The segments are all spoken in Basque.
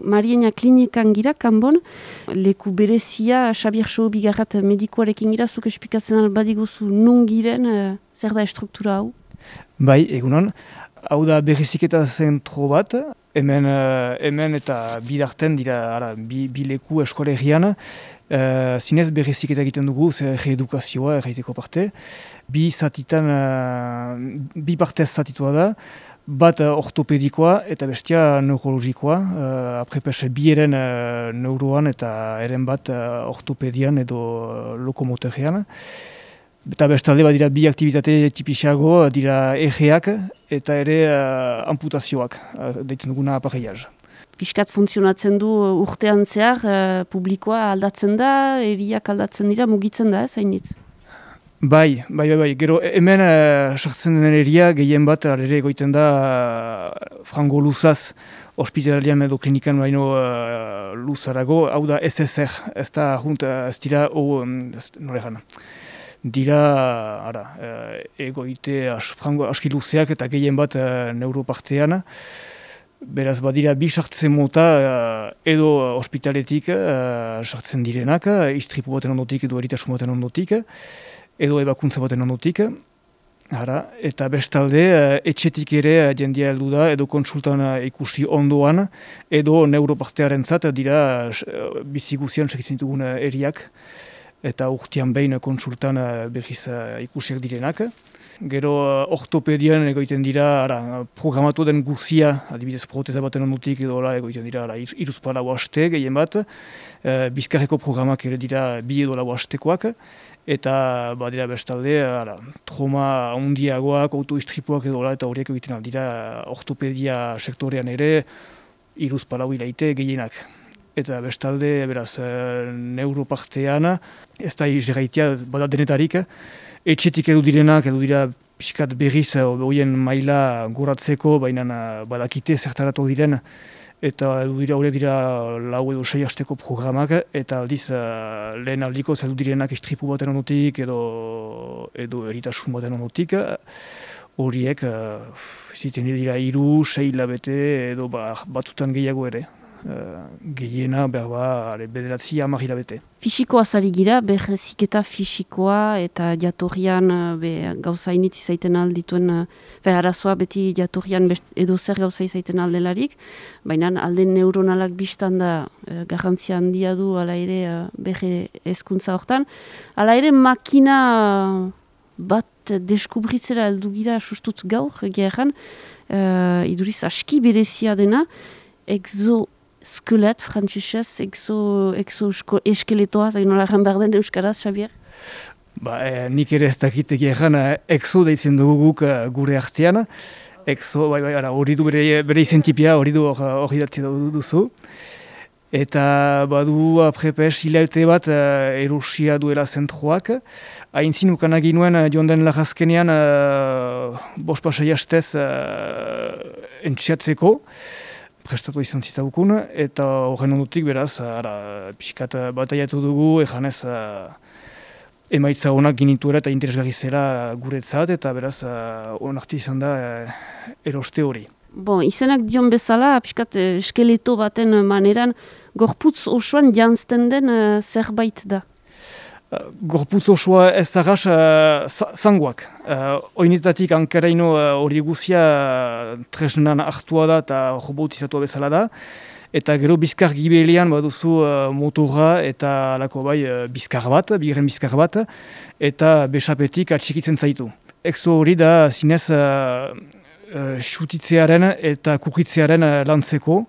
Mariena klinikan gira, kanbon, leku berezia, Xabier Soo bigarrat medikoarekin gira, zuk espikatzen albadiguzu nun giren, zer da estruktura hau? Bai, egunon. Hau da berriziketa zentro bat, hemen eta bidarten dira bi leku eskolegian, zinez berriziketa egiten dugu, zer reedukazioa erraiteko parte. Bi partez zatitua da, bat ortopedikoa eta bestia neurologikoa, aprepes bi eren neuroan eta eren bat ortopedian edo lokomotorean. Eta bestalde dira bi aktivitate tipisago, dira egeak eta ere amputazioak, deitzen duguna apareiaz. Piskat funtzionatzen du urtean zehar, publikoa aldatzen da, eriak aldatzen dira, mugitzen da, zainitz? Bai. Gero hemen sartzen den eria gehien bat ere egoiten da frango luzaz, ospitalarian edo klinikan baino luzarago, hau da SSR, ez da ez dira, noregan. Dira, egoite frango aski luzeak eta gehien bat neuropartean. Beraz, badira bi sartzen mota edo ospitaletik sartzen direnak, istripu baten ondotik edo eritasun baten ondotik, edo ebakuntza baten ondotik. Eta bestalde, etxetik ere jendia heldu da, edo konsultan ikusi ondoan, edo neuropartearen zat dira biziguzian segitzen dugun eriak, eta urtean behin konsultan berriz ikusiak direnak. Gero ortopedian egoiten dira programatu den guzia, adibidez proteza baten ondotik edo egoiten dira iruzpa lau haste gehien bat, bizkarreko programak ere dira bi edo lau hastekoak, eta badira bestalde trauma handiagoak, autoistripuak edo eta horiek egiten dira ortopedia sektorean ere iruzpa lau hilaite gehienak. Eta bestalde, beraz, neuropartean, ez da izerraitia bada denetarik, etxetik edu dira pixkat berriz horien maila goratzeko, baina badakite zertaratu diren, eta horiek dira lau edo 6 hasteko programak, eta aldiz lehen aldiko edu direnak istripu baten ondotik edo eritasun baten ondotik, horiek ziten dira 3-6 hilabete edo batzutan gehiago ere. Gehiena bederatzi 10 hilabete. Fisikoa zari gira, berreziketa fisikoa eta jatorrian gauza initz izaiten aldituen, arazoa beti jatorrian edo zer gauza izaiten aldelarik, baina alde neuronalak biztan da garrantzia handia du ala ere berre hezkuntza hortan. Ala ere makina bat deskubritzera heldu gira sustutz gaur, egeran, iduriz aski berezia dena, Exoskelet, frantzisez, eskeletoa, zain nola egan behar den euskaraz, Xabier? Nik ere ez dakit egeran exo deitzen dugu guk gure artean. Exo, hori du bere izentipia, hori datzi duzu. Eta badu aprepes hilaute bat erosia duela zentroak. Haintzin ukanagi nuen joan den lagazkenean 5-6 hastez entxeatzeko. Prestatu izan zitzagukun, eta horren ondotik beraz, pixkat bataiatu dugu, ejanez emaitza honak ginituera eta interesgarri zela guretzat, eta beraz onartu izan da eroste hori. Izenak dion bezala, pixkat eskeleto baten maneran, gorputz osoan janzten den zerbait da? Gorputz osoa ez arras zangoak. Oinetatik hankaraino hori guzia tresnan hartua da eta robotizatua bezala da. Eta gero bizkar gibelean baduzu motorra eta alako bizkar bat, bigarren bizkar bat, eta besapetik atxikitzen zaitu. Exo hori da zinez xutitzearen eta kukitzearen lantzeko,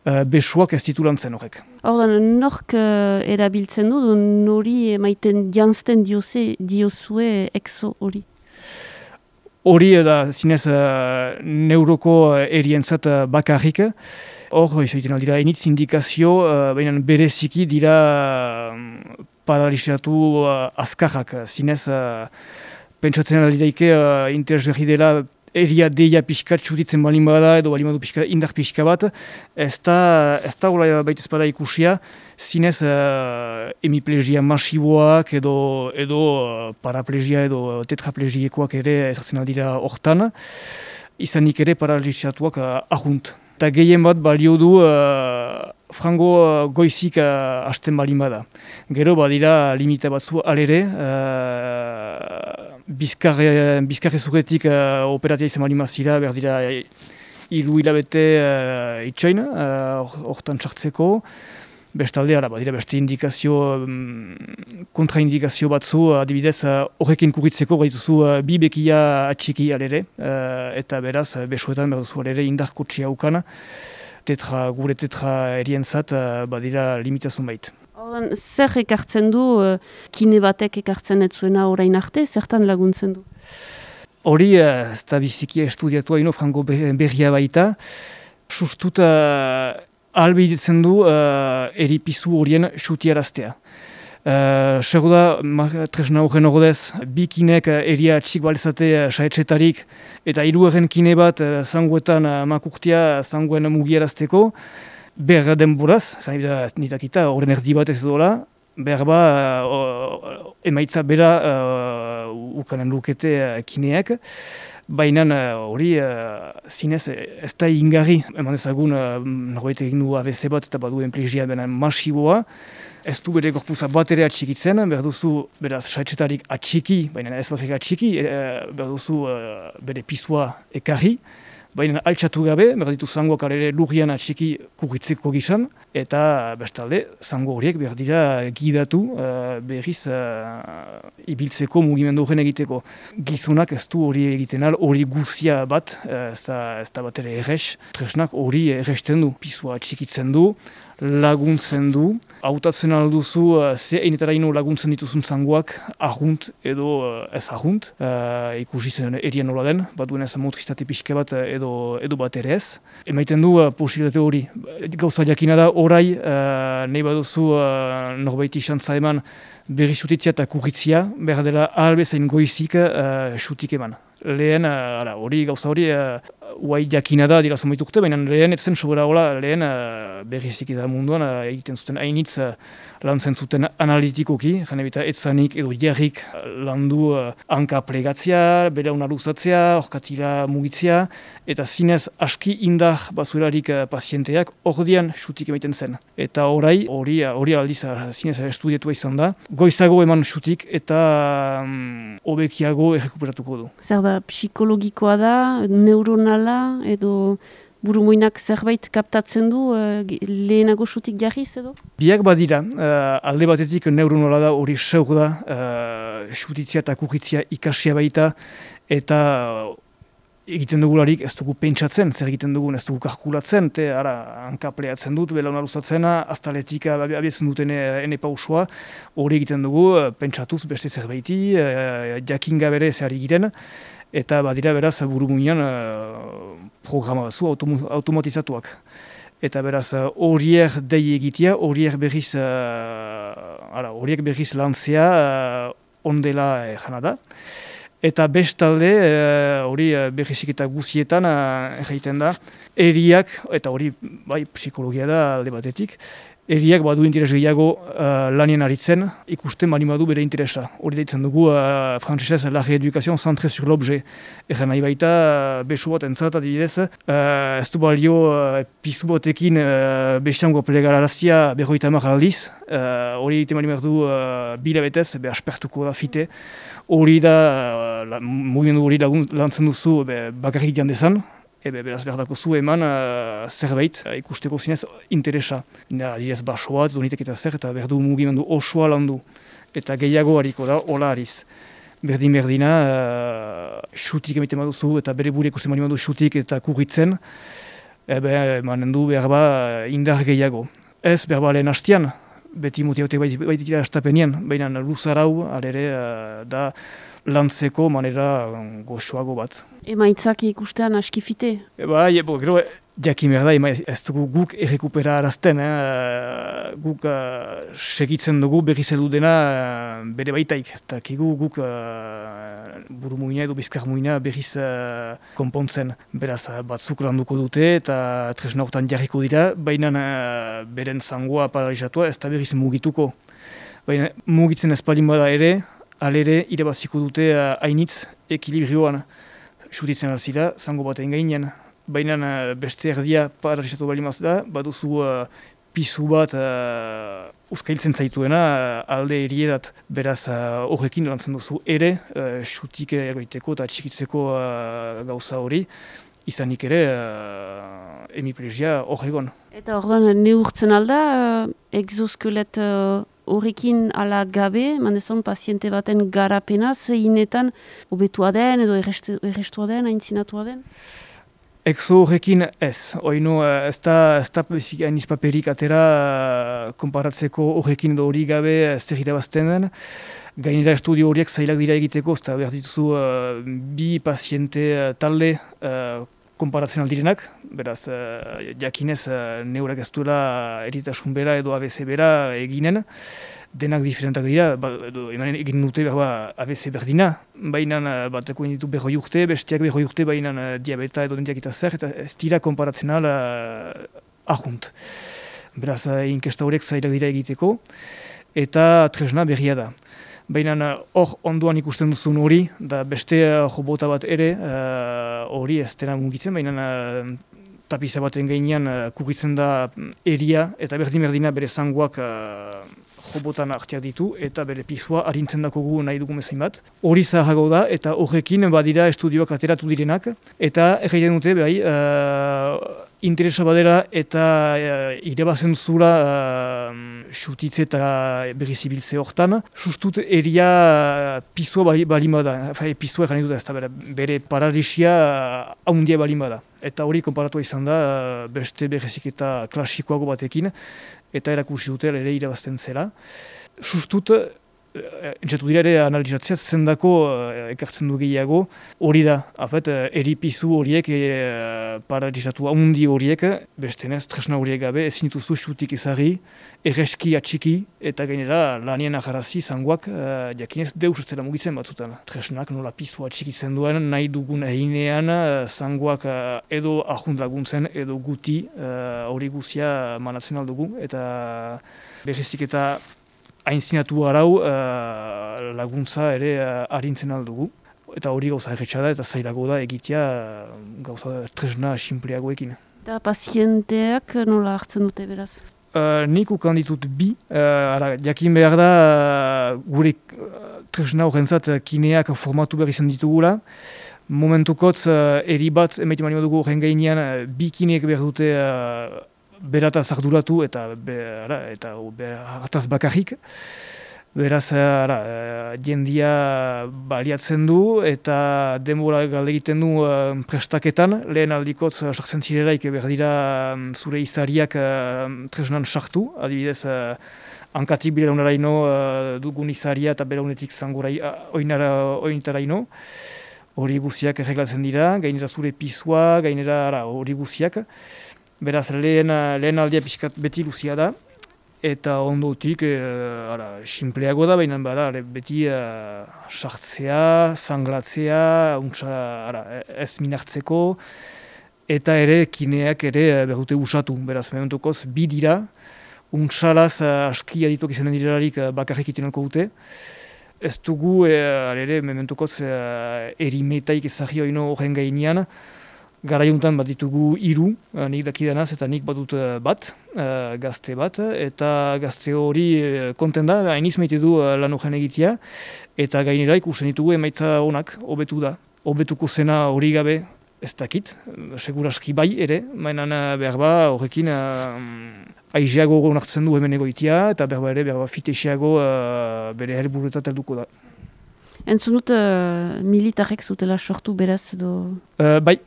besuak ez ditu lantzen horrek. Ordan, nork erabiltzen du, nori emaiten janzten diozue exo hori? Hori da zinez neuroko erientzat bakarrik. Hor, izaiten aldira initz indikazio, baina bereziki dira paralizatu azkarrak. Zinez, pentsatzen aldidaike interesgarri dela eria deia pixkat txutitzen balin bada edo balin badu indar pixka bat, ez da hola baita espada ikusia, zinez hemiplegia masiboak edo paraplegia edo tetraplegiekoak ere ezartzen aldira hortan, izanik ere paralizatuak ahunt. Eta gehien bat balio du frango goizik hasten balin bada. Gero badira limita batzu alere, bizkarre zuretik operatia izan balin mazira, behar dira hiru hilabete itxoin, hortan txartzeko. Bestalde, badira beste indikazio, kontraindikazio batzu, adibidez, horrekin kurritzeko baituzu bi bekia atxiki alere, eta beraz, besuetan behar duzu alere indarko txia ukan, gure tetra erientzat badira limitazun bait. Zer ekartzen du, kine batek ekartzen ez zuena orain arte, zertan laguntzen du? Hori, ez da biziki estudiatua ino frango berria baita, sustuta ahalbidetzen du eripizu horien xutiaraztea. Sego da, tresna horren ordez, bi kinek eria txik balezate saetxetarik eta hirugarren kine bat zangoetan makurtia zangoen mugiarazteko, behar denboraz, nitakita horren erdi bat ez dola, behar emaitza bera ukanen lukete kineak, baina hori zinez ez da ingarri, eman ezagun norbait egin du ABC bat eta baduen plegia dena masiboa, ez du bere gorpuza bat ere atxikitzen, behar duzu beraz saetxetarik atxiki, baina ez bakarrik atxiki, behar duzu bere pizua ekarri, baina altxatu gabe, behar ditu zangoak alere lurrian atxiki kurritzeko gizan, eta bestalde, zango horiek behar dira gidatu berriz ibiltzeko mugimendu horren egiteko. Gizonak ez du hori egiten al, hori guzia bat, ez da bat ere errex, tresnak hori erresten du, pizua atxikitzen du, laguntzen du, hautatzen alduzu ze einetara ino laguntzen dituzun zangoak ahunt edo ez ahunt, ikusi zen erien nola den, bat duen ez motriztate pixke bat edo bat ere ez. Emaiten du posibilitate hori, gauza jakina da orai, nahi baduzu norbaiti xantza eman berri xutitzia eta kurritzia, behar dela ahalbezain goizik xutik eman. Lehen, hori gauza hori, uai jakina da dira zombaitukte, baina lehen etzen sobera hola, lehen berrizik da munduan egiten zuten hainitz lantzen zuten analitikoki, jane bita etzanik edo jarrik landu hanka plegatzea, berauna luzatzea, orkatila mugitzea, eta zinez aski indar bazurarik pazienteak ordian xutik emaiten zen. Eta hori aldiz zinez estudietua izan da, goizago eman xutik eta hobekiago errekuperatuko du. Zer da, psikologikoa da, neuronala, edo burumuinak zerbait kaptatzen du lehenago xutik jarriz edo? Biak badira, alde batetik neuronala da hori seur da, xutitzia eta kurritzia ikasia baita, eta egiten dugularik ez dugu pentsatzen, zer egiten dugun ez dugu kalkulatzen, hankapleatzen dut, belauna luzatzena, aztaletik abiatzen duten ene pausua, hori egiten dugu, pentsatuz beste zerbaiti, jakinga bere zehari giren, eta badira beraz burumuinan programa batzu automatizatuak. Eta beraz horiek dei egitea, horiek berriz lantzea ondela jana da. Eta bestalde, hori berrizik eta guzietan egiten da, eriak, eta hori bai psikologia da alde batetik, eriak badu interes gehiago lanien aritzen, ikusten bali badu bere interesa. Hori deitzen dugu, frantzesez, la rééducation centrée sur l'objet. Egan nahi baita, besu bat entzat, adibidez, ez du balio pizu batekin bestiango plegararazia berroita hamar aldiz, hori egiten bali du bilabetez, aspertuko da fite. Hori da, mugimendu hori lantzen duzu bakarrik jan dezan, beraz behar dako zu eman zerbait ikusteko zinez interesa. Adibidez baso bat, donitek eta zer, eta behar du mugimendu osoa landu. Eta gehiago hariko da, hola hariz. Berdina, xutik emiten baduzu, eta bere bure ikusten bali badu xutik eta kurritzen, emanen du behar indar gehiago. Ez behar lehen hastian, beti mutiautek baitik da estapenien, baina luzarau, alere, da lantzeko manera goxoago bat. Emaitzak ikustean askifite? Gero, jakin behar da, ez dugu guk errekuperarazten, guk segitzen dugu berriz heldu dena bere baitaik. Ez dakigu guk burumuina edo bizkarmuina berriz konpontzen. Beraz, batzuk landuko dute eta tresna hortan jarriko dira, baina beren zangoa paralizatua ez da berriz mugituko. Baina mugitzen ez palin bada ere, alere irabaziko dute hainitz ekilibrioan. Xutitzen alzira, zango batean gainen. Baina beste erdia paralizatu bali mazda, baduzu pizu bat uzkailtzen zaituena alde erierat. Beraz horrekin lantzen duzu ere, xutik egoiteko eta txikitzeko gauza hori, izanik ere hemiplegia hor egon. Eta orduan neurtzen alda, exoskelet horrekin ala gabe, mandezon paziente baten garapena, zeinetan hobetua den edo errestua den, aintzinatua den? Exo horrekin ez, oino ez da hainiz paperik atera konparatzeko horrekin edo hori gabe zer irabazten den. Gainera estudio horiek zailak dira egiteko, ez da behar dituzu bi paziente talde konparatzen aldirenak, beraz jakinez neurak ez duela eritasun bera edo ABC bera eginen, denak diferentak dira, egin dute ABC berdina, baina bateko ditu 40 urte, besteak 40 urte, baina diabeta edo dentiak eta zer, eta ez dira konparatzen ahunt. Beraz, inkesta horiek zailak dira egiteko, eta tresna berria da. Baina hor ondoan ikusten duzun hori, da beste jobota bat ere, hori ez dena mugitzen, baina tapiza baten gainean kukitzen da eria, eta berdin-berdina bere zangoak jobotan hartiak ditu, eta bere pisua arintzen dakogu nahi dugu mezain bat. Hori zaharrago da, eta horrekin badira estudioak ateratu direnak, eta egiten dute bai, interesa badera eta irebazen zura xutitze eta berrizibiltze hortan, sustut eria pisua balima da, pisua egin dut ez da, bere paralisia haundia balima da. Eta hori konparatu izan da beste berrizik eta klasikoago batekin, eta erakusi dute ere irabazten zela. Sustut, entzatu dira ere analizatzea zendako ekartzen du gehiago, hori da, eripizu horiek, paralizatu haundi horiek, bestenez, tresna horiek gabe, ezin dituzu xutik ezagri, erreski atxiki, eta gainera lanien aharazi zangoak jakinez deus ez dela mugitzen batzutan. Tresnak nola pizu atxikitzen duen, nahi dugun eginean, zangoak edo ahunt laguntzen, edo guti hori guzia manatzen aldugu, eta berrizik eta hainzinatu arau laguntza ere arintzen aldugu. Eta hori gauza erretxa da eta zailago da egitea gauza tresna sinpleagoekin. Eta pazienteak nola hartzen dute beraz? Nik ukan ditut bi. Jakin behar da gure tresna horrentzat kineak formatu behar izan ditugula. Momentukotz eri bat emaiten mani dugu horren gainean bi kineek behar dute berataz arduratu eta hartaz bakarrik. Beraz, jendia baliatzen du eta denbora galde egiten du prestaketan. Lehen aldikotz sartzen zirelaik behar dira zure izariak tresnan sartu. Adibidez, hankatik belaunaraino dugun izaria eta belaunetik zangora oinetaraino. Hori guziak erreglatzen dira, gainera zure pisua, gainera hori guziak. Beraz, lehen aldia pixkat beti luzia da, eta ondotik sinpleago da, baina beti sartzea, zanglatzea, ez minartzeko, eta ere kineak ere behute usatu. Beraz, mementokoz, bi dira, untsalaz aski adituak izanen direlarik bakarrik itenalko dute. Ez dugu, mementokoz, erimetaik ezagio ino horren gainean, garaiuntan bat ditugu 3, nik dakidanaz eta nik badut bat, gazte bat, eta gazte hori konten da, hainiz maite du lan horren egitea, eta gainera ikusten ditugu emaitza onak, hobetu da. Hobetuko zena hori gabe ez dakit, seguraski bai ere, mainan behar ba horrekin aizeago onartzen du hemen egoitia, eta behar ba ere fitexeago bere helburuetat helduko da. Entzun dut militarrek zutela sortu beraz edo? Bai,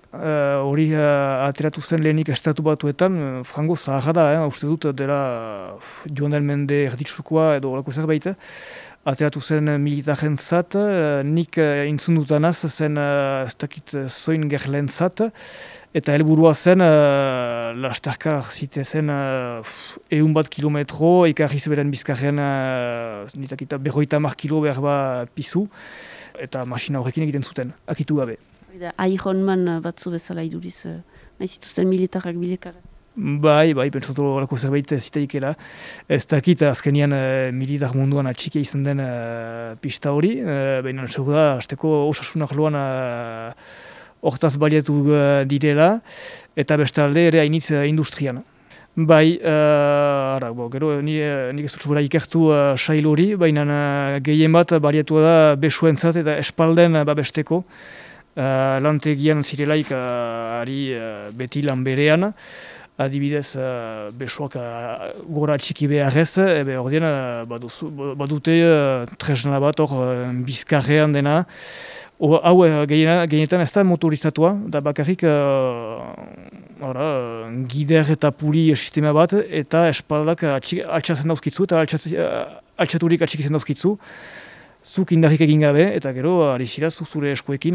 hori ateratu zen lehenik estatu batuetan, frango zaharra da, uste dut dela joan den mende erditsukoa edo horako zerbait. Ateratu zen militarren zat, nik entzun dutanaz zen ez dakit zoin gerlen zat, eta helburua zen lasterkar zite zen 100 kilometro, ekarriz beren bizkarrean 50 kilo behar ba pizu, eta masina horrekin egiten zuten, akitu gabe. Ironman batzu bezala iduriz, nahi zituzten militarrak bilekaraz. Bai, pentsatu horako zerbait zitaikela. Ez dakit azkenian militar munduan atxikia izan den pista hori, baina segur da, azteko osasunak loan hortaz baliatu direla, eta bestalde ere hainitz industrian. Bai, gero nik ez dut zubera ikertu sail hori, baina gehien bat baliatu da besuentzat eta espalden babesteko. Lantegian zirelaik ari beti lan berean, adibidez besuak gora txiki beharrez, ordean badute tresna bat hor bizkarrean dena. Hau gehienetan ez da motorizatua, da bakarrik gider eta puli sistema bat, eta espaldak altxatzen dauzkitzu, eta altxaturik atxikitzen dauzkitzu, zuk indarrik egin gabe, eta gero ari zira zure eskuekin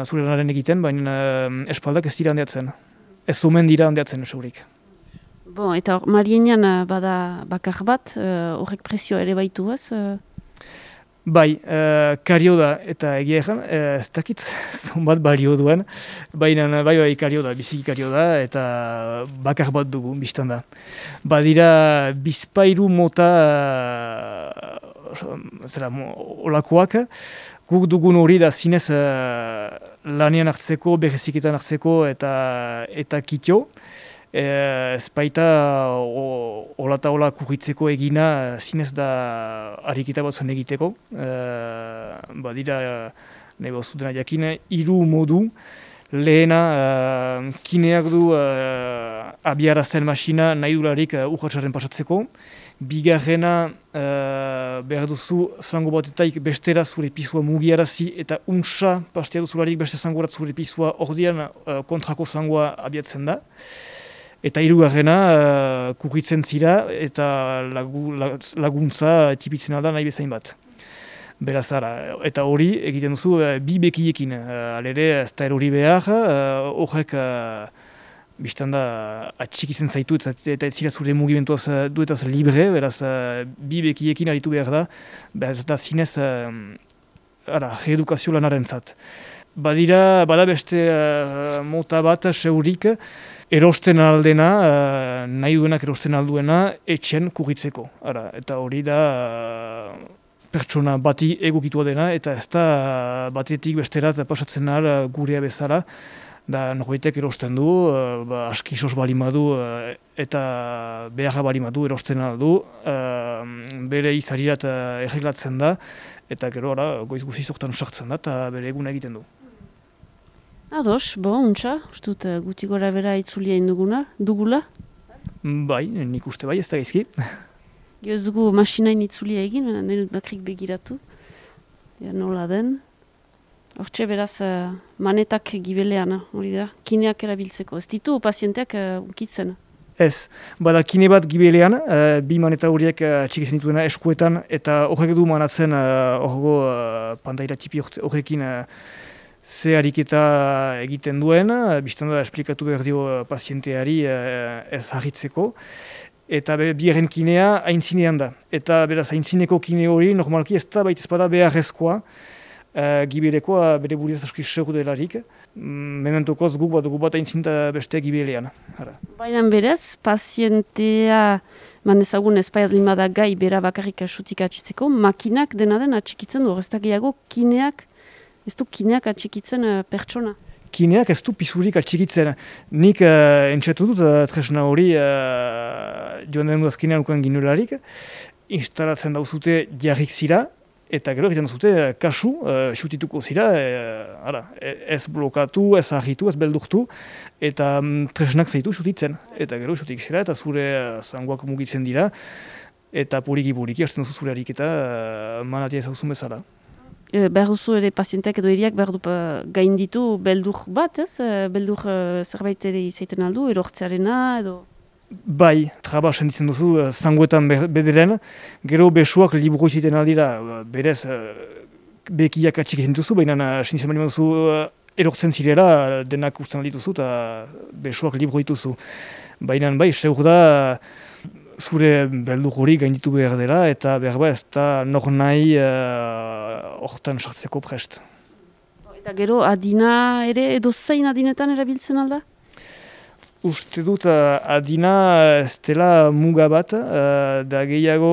zure lanaren egiten, baina espaldak ez dira handiatzen. Ez omen dira handiatzen, segurik. Bon, eta Marienan bada bakar bat, horrek prezioa ere baitu ez? Bai, kario da, eta egia egan, ez dakit zonbat balio duen, baina bai kario da, biziki kario da, eta bakar bat dugu, biztan da. Badira bizpairu mota olakoak, guk dugun hori da zinez lanean hartzeko, bereziketan hartzeko eta kitio. Ez baita ola kurritzeko egina zinez da ariketa batzuen egiteko. Badira, nahi bazutena jakin, 3 modu. Lehena, kineak du abiarazten masina nahi dularik urratxaren pasatzeko. Bigarrena, behar duzu zango batetaik bestera zure pisua mugiarazi eta untsa pastea duzularik beste zangorat zure pisua ordean kontrako zangoa abiatzen da. Eta hirugarrena kurritzen zira eta laguntza tipitzen da nahi bezain bat. Beraz, eta hori egiten duzu bi bekiekin. Alere, ez da erori behar, horrek biztan da atxikitzen zaitu eta ez zira zure mugimentuaz duetaz libre, beraz, bi bekiekin aritu behar da, beraz, eta zinez reedukazio lanaren zat. Bada beste mota bat, seurik, erosten aldena, nahi duenak erosten alduena, etxen kurritzeko. Eta hori da pertsona bati egokitua dena, eta ez da batetik besterat pasatzen ahal gurea bezala, da norbaitek erosten du, askisos balimadu eta beharra balimadu erosten aldu, bere izarirat erreglatzen da, eta gero goiz guziz hortan sartzen da, eta bere eguna egiten du. Ados, untxa, ustut guti gora bera itzulia dugula? Bai, nik uste bai, ez da gaizki. Gio ez dugu masinain itzulia egin, nire bakrik begiratu. Nola den. Hortxe beraz, manetak gibelean, hori da, kineak erabiltzeko. Ez ditu pazienteak ukitzen. Ez, bada kine bat gibelean, bi maneta horiek txikitzen dituena eskuetan, eta horrek du manatzen horrego pantaira tipi horrekin ze ariketa egiten duen, biztan da esplikatu behar dio pazienteari ez harritzeko, eta bigarren kinea aintzinean da. Eta beraz aintzineko kine hori normalki ez da baita ezpada beharrezkoa, gibelekoa bere buriaz aski segur delarik, mementokoz guk bat aintzinta beste gibelean. Baina berez, pazientea mandezagun ezpaiat limada gai bera bakarrik asutik atxitzeko, makinak dena den atxikitzen du, ez da gehiago kineak, ez du kineak atxikitzen pertsona. Kineak ez du pisurik atxikitzen. Nik entxetu dut tresna hori joan den udazkinean ukan ginularik, instalatzen dauzute jarrik zira, eta gero egiten dauzute kasu, xutituko zira, ez blokatu, ez argitu, ez beldurtu, eta tresnak zaitu xutitzen. Eta gero xutik zira, eta zure zangoak mugitzen dira, eta puriki-puriki hasten duzu zure ariketa manatia ezauzun bezala. Behar duzu ere pazienteak edo eriak behar du gainditu beldur bat, ez? Beldur zerbait ere izaiten aldu, erortzearena edo... Bai, traba sentitzen duzu zangoetan bederen, gero besuak liburu izaiten aldira, berez bekiak atxik duzu, baina sentitzen bali duzu erortzen zirela denak usten aldituzu eta besuak liburu dituzu. Baina bai, seur da zure beldur hori gainditu behar dela eta behar ez da nor nahi hortan sartzeko prest. Eta gero adina ere edo zein adinetan erabiltzen alda? Uste dut adina ez dela muga bat, da gehiago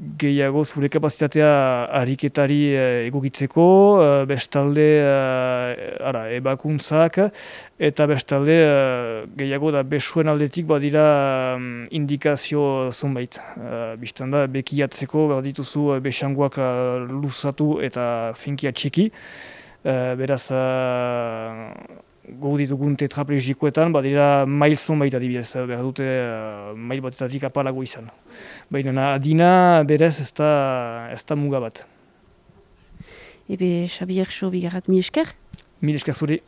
gehiago zure kapazitatea ariketari egokitzeko, bestalde ebakuntzak, eta bestalde gehiago da besuen aldetik badira indikazio zonbait. Bistan da, bekiatzeko behar dituzu besangoak luzatu eta finkia txiki, beraz gogu ditugun tetraplegikoetan, badira mail zonbait adibidez, behar dute mail batetatik apalago izan. Baina adina berez ez da muga bat. Ebe, Xabier Xo, bigarrat, mi esker? Mil esker zuri.